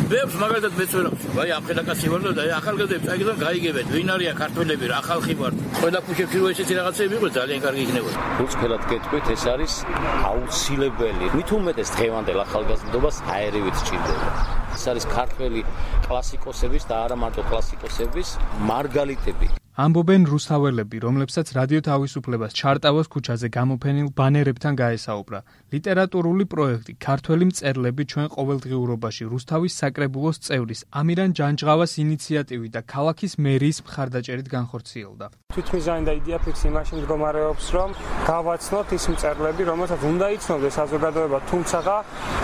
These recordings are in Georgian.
ბევრს მაგალითად მეც ვერ აქვს. აი ახალგაზრდები ვარ და ახალგაზრდები წაიგდან გაიგებენ. ვინ არიან ქართველები რა ხალხი ვარ. ყველა ქუჩებში რო ესეთი რაღაცები იყო ძალიან კარგი იქნებოდა. უცხელად გეტყვით ეს არის აუცილებელი. მით უმეტეს დღევანდელ ახალგაზრდობას აერივით სჭირდება. ეს არის ქართველი კლასიკოსების და არა მარტო კლასიკოსების მარგალიტები. ამბობენ რუსთაველები, რომლებსაც რადიო თავისუფლებას ჩარტავოს ქუჩაზე გამოფენილ ბანერებთან გაესაუბრა. ლიტერატურული პროექტი ქართველი მწერლები ჩვენ ყოველდღიურობაში რუსთავის საკრებულოს წევრის ამირან ჯანჯღავას ინიციატივით და ქალაქის მერიის მხარდაჭერით განხორციელდა. თვითმიზანი და იდეა ფიქსი იმაში მდგომარეობს, რომ გავაცნოთ ის მწერლები, რომელსაც უნდა იცნობდეს საზოგადოება, თუმცა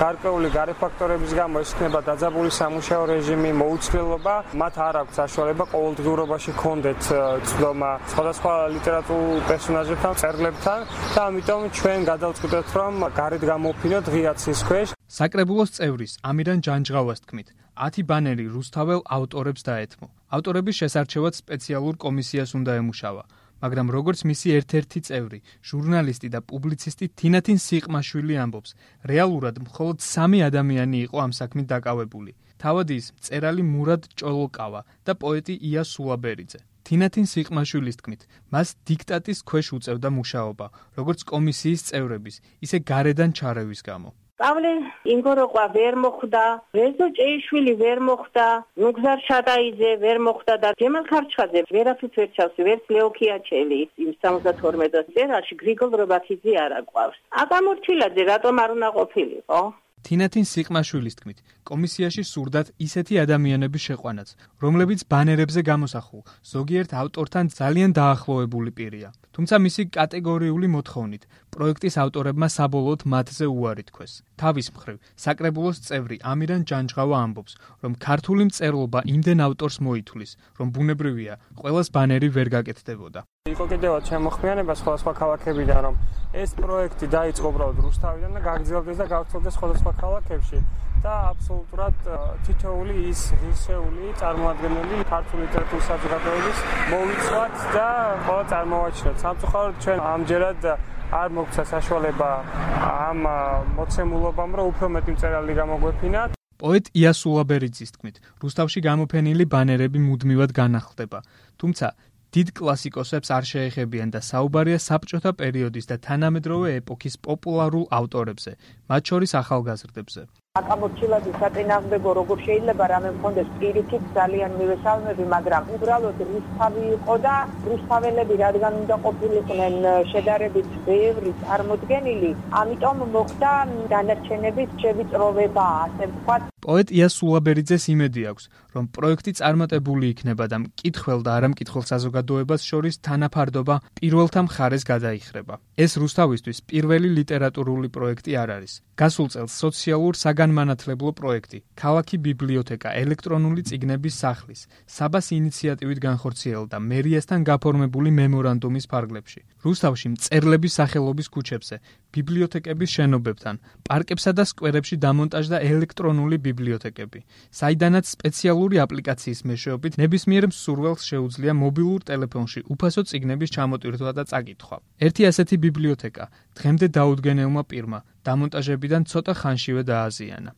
გარკვეული გარეფაქტორების გამო ეს იქნება დაძაბული სამუშაო რეჟიმი, მოუცვლელობა, მათ არ აქვს საშუალება ყოველდღიურობაში კონდეთ ცდომა სხვადასხვა ლიტერატურულ პერსონაჟებთან, მწერლებთან და ამიტომ ჩვენ გადავწყვიტეთ, რომ გარეთ გამოფინოთ ღია ცის ქვეშ. საკრებულოს წევრის ამირან ჯანჯღავას თქმით, 10 ბანერი რუსთაველ ავტორებს დაეთმო. ავტორების შესარჩევად სპეციალურ კომისიას უნდა ემუშავა, მაგრამ როგორც მისი ერთ-ერთი წევრი, ჟურნალისტი და პუბლიცისტი თინათინ სიყმაშვილი ამბობს, რეალურად მხოლოდ 3 ადამიანი იყო ამ საქმით დაკავებული. თავად ის მწერალი მურად ჭოლოკავა და პოეტი ია სულაბერიძე. თინათინ სიყმაშვილის თქმით, მას დიქტატის ქვეშ უწევდა მუშაობა, როგორც კომისიის წევრების, ისე გარედან ჩარევის გამო. პავლე ინგოროყვა ვერ მოხვდა, რეზო ჭეიშვილი ვერ მოხვდა, ნუგზარ შატაიძე ვერ მოხვდა და ჯემალ ხარჩხაძე ვერაფერს ვერ ჩავს, ვერც ლეოქიაჩელი იმ 72 წერაში გრიგოლ რობაქიძე არ აყვავს. აკამორჩილაძე რატომ არ უნდა ყოფილიყო? თინათინ სიყმაშვილის თქმით, კომისიაში სურდათ ისეთი ადამიანების შეყვანაც, რომლებიც ბანერებზე გამოსახულ ზოგიერთ ავტორთან ძალიან დაახლოებული პირია. თუმცა მისი კატეგორიული მოთხოვნით, პროექტის ავტორებმა საბოლოოდ მათზე უარი თქვეს. თავის მხრივ, საკრებულოს წევრი ამირან ჯანჯღავა ამბობს, რომ ქართული მწერლობა იმდენ ავტორს მოითვლის, რომ ბუნებრივია, ყველას ბანერი ვერ გაკეთდებოდა. იყო კიდევაც შემოხმიანება სხვადასხვა ქალაქებიდან, რომ ეს პროექტი დაიწყო უბრალოდ რუსთავიდან და გაგრძელდეს და გავრცელდეს სხვადასხვა ქალაქებში და აბსოლუტურად თითოეული ის ღირსეული წარმოადგენელი ქართული ლიტერატურის საზოგადოების მოვიცვათ და ყველა წარმოვაჩინოთ. სამწუხაროდ ჩვენ ამჯერად არ მოგვცა საშუალება ამ მოცემულობამ, რომ უფრო მეტი მწერალი გამოგვეფინათ. პოეტ ია სულაბერიძის თქმით, რუსთავში გამოფენილი ბანერები მუდმივად განახლდება, თუმცა დიდ კლასიკოსებს არ შეეხებიან და საუბარია საბჭოთა პერიოდის და თანამედროვე ეპოქის პოპულარულ ავტორებზე, მათ შორის ახალგაზრდებზე. აკამორჩილაძე საწინააღმდეგო როგორ შეიძლება რამე მქონდეს პირიქით ძალიან მივესალმები, მაგრამ უბრალოდ რუსთავი იყო და რუსთაველები რადგან უნდა ყოფილიყვნენ შედარებით ბევრი წარმოდგენილი, ამიტომ მოხდა დანარჩენების შევიწროვება, ასე ვთქვათ. პოეტ ია სულაბერიძეს იმედი აქვს, რომ პროექტი წარმატებული იქნება და მკითხველს და არამკითხელ საზოგადოებას შორის თანაფარდობა პირველთა მხარეს გადაიხრება. ეს რუსთავისთვის პირველი ლიტერატურული პროექტი არ არის. გასულ წელს სოციალურ საგანმანათლებლო პროექტი, ქალაქი ბიბლიოთეკა ელექტრონული წიგნების სახლის, საბას ინიციატივით განხორციელდა მერიასთან გაფორმებული მემორანდუმის ფარგლებში. რუსთავში მწერლების სახელობის ქუჩებზე, ბიბლიოთეკების შენობებთან, პარკებსა და სკვერებში დამონტაჟდა ელექტრონული ბიბლიოთეკები, საიდანაც სპეციალური აპლიკაციის მეშვეობით ნებისმიერ მსურველს შეუძლია მობილურ ტელეფონში უფასო წიგნების ჩამოტვირთვა და წაკითხვა. ერთი ასეთი ბიბლიოთეკა დღემდე დაუდგენელმა პირმა დამონტაჟებიდან ცოტა ხანშივე დააზიანა.